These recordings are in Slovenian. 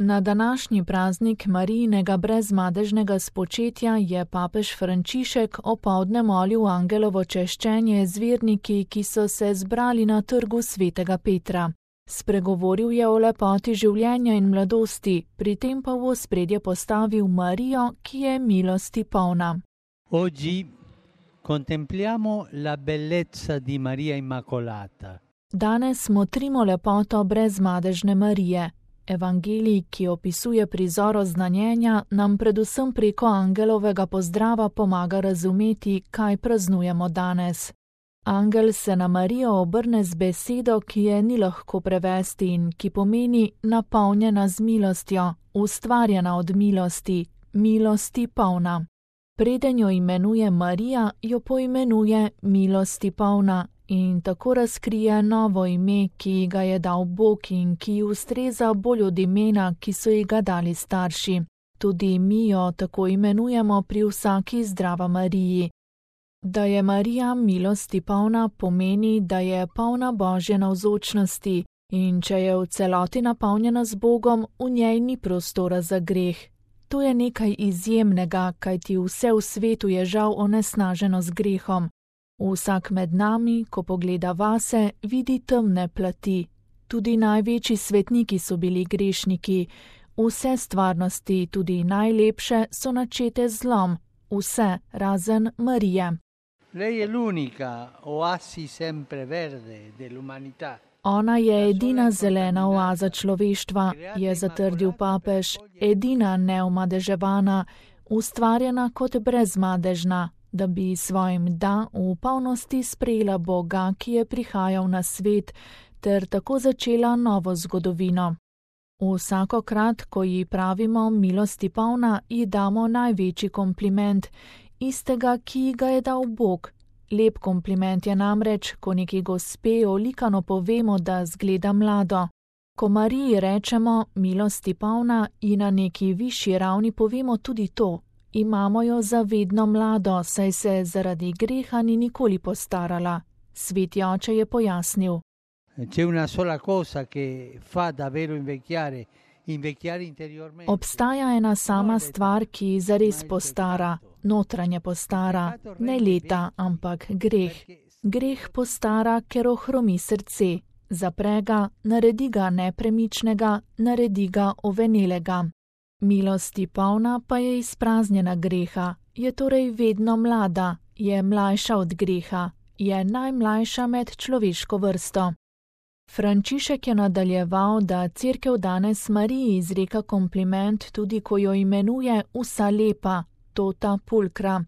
Na današnji praznik Marijinega brezmadežnega spočetja je papež Frančišek opoldne molil angelovo češčenje z verniki, ki so se zbrali na trgu svetega Petra. Spregovoril je o lepoti življenja in mladosti, pri tem pa v ospredje postavil Marijo, ki je milosti polna. Oggi contempliamo la bellezza di Maria Immacolata. Danes motrimo lepoto brezmadežne Marije. Evangelij, ki opisuje prizor oznanjenja, nam predvsem preko angelovega pozdrava pomaga razumeti, kaj praznujemo danes. Angel se na Marijo obrne z besedo, ki je ni lahko prevesti in ki pomeni napolnjena z milostjo, ustvarjena od milosti, milosti polna. Preden jo imenuje Marija, jo poimenuje milosti polna in tako razkrije novo ime, ki ga je dal Bog in ki ustreza bolj od imena, ki so ji ga dali starši. Tudi mi jo tako imenujemo pri vsaki zdrava Mariji. Da je Marija milosti polna pomeni, da je polna Božje navzočnosti in če je v celoti napolnjena z Bogom, v njej ni prostora za greh. To je nekaj izjemnega, kajti vse v svetu je žal onesnaženo z grehom. Vsak med nami, ko pogleda vase, vidi temne plati. Tudi največji svetniki so bili grešniki. Vse stvarnosti, tudi najlepše, so načete z zlom. Vse, razen Marije. Lei è l'unica oasi sempreverde dell'umanità. Ona je edina zelena oaza človeštva, je zatrdil papež, edina neomadeževana, ustvarjena kot brezmadežna, da bi svojim da v polnosti sprejela Boga, ki je prihajal na svet, ter tako začela novo zgodovino. Vsakokrat, ko ji pravimo milosti polna, ji damo največji kompliment, istega, ki ga je dal Bog. Lep kompliment je namreč, ko neki gospe olikano povemo, da zgleda mlado. Ko Mariji rečemo milosti polna, ji na neki višji ravni povemo tudi to. Imamo jo za vedno mlado, saj se zaradi greha ni nikoli postarala. Sveti oče je pojasnil. Obstaja ena sama stvar, ki zares postara, notranje postara, ne leta, ampak greh. Greh postara, ker ohromi srce, zapre ga, naredi ga nepremičnega, naredi ga ovenelega. Milosti polna pa je izpraznjena greha, je torej vedno mlada, je mlajša od greha, je najmlajša med človeško vrsto. Frančišek je nadaljeval, da Cerkev danes Mariji izreka kompliment tudi, ko jo imenuje vsa lepa, tota pulkra.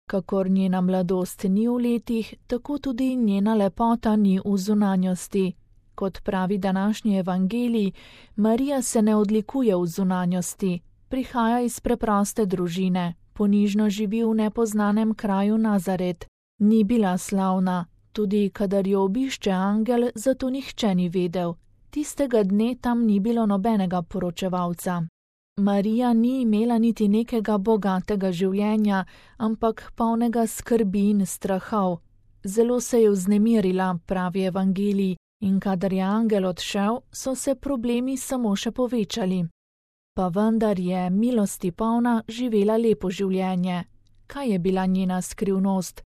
Kakor njena mladost ni v letih, tako tudi njena lepota ni v zunanjosti. Kot pravi današnji evangelij, Marija se ne odlikuje v zunanjosti, prihaja iz preproste družine, ponižno živi v nepoznanem kraju Nazaret. Ni bila slavna, tudi kadar jo obišče angel, zato nihče ni vedel. Tistega dne tam ni bilo nobenega poročevalca. Marija ni imela niti nekega bogatega življenja, ampak polnega skrbi in strahov. Zelo se je vznemirila, pravi evangelij, in kadar je angel odšel, so se problemi samo še povečali. Pa vendar je milosti polna živela lepo življenje. Kaj je bila njena skrivnost?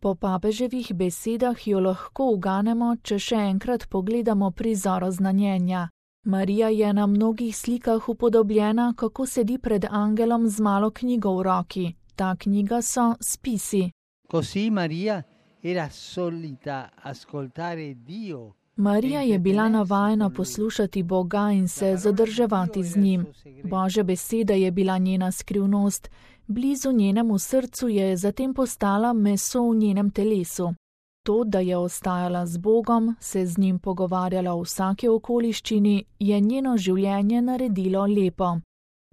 Po papeževih besedah jo lahko uganemo, če še enkrat pogledamo prizor oznanjenja. Marija je na mnogih slikah upodobljena, kako sedi pred angelom z malo knjigo v roki. Ta knjiga so spisi. Così Maria era solita ascoltare Dio. Marija je bila navajena poslušati Boga in se zadrževati z njim. Božja beseda je bila njena skrivnost. Blizu njenemu srcu je zatem postala meso v njenem telesu. To, da je ostajala z Bogom, se z njim pogovarjala v vsaki okoliščini, je njeno življenje naredilo lepo.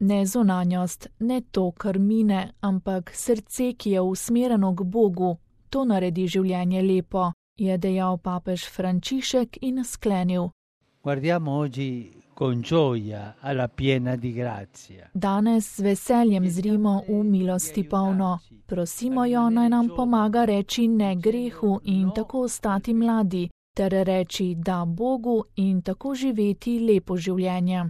Ne zunanjost, ne to, kar mine, ampak srce, ki je usmerjeno k Bogu, to naredi življenje lepo, je dejal papež Frančišek in sklenil. Guardiamo oggi con gioia alla piena di grazia. Danes z veseljem zrimo v milosti polno. Prosimo jo, naj nam pomaga reči ne grehu in tako ostati mladi, ter reči da Bogu in tako živeti lepo življenje.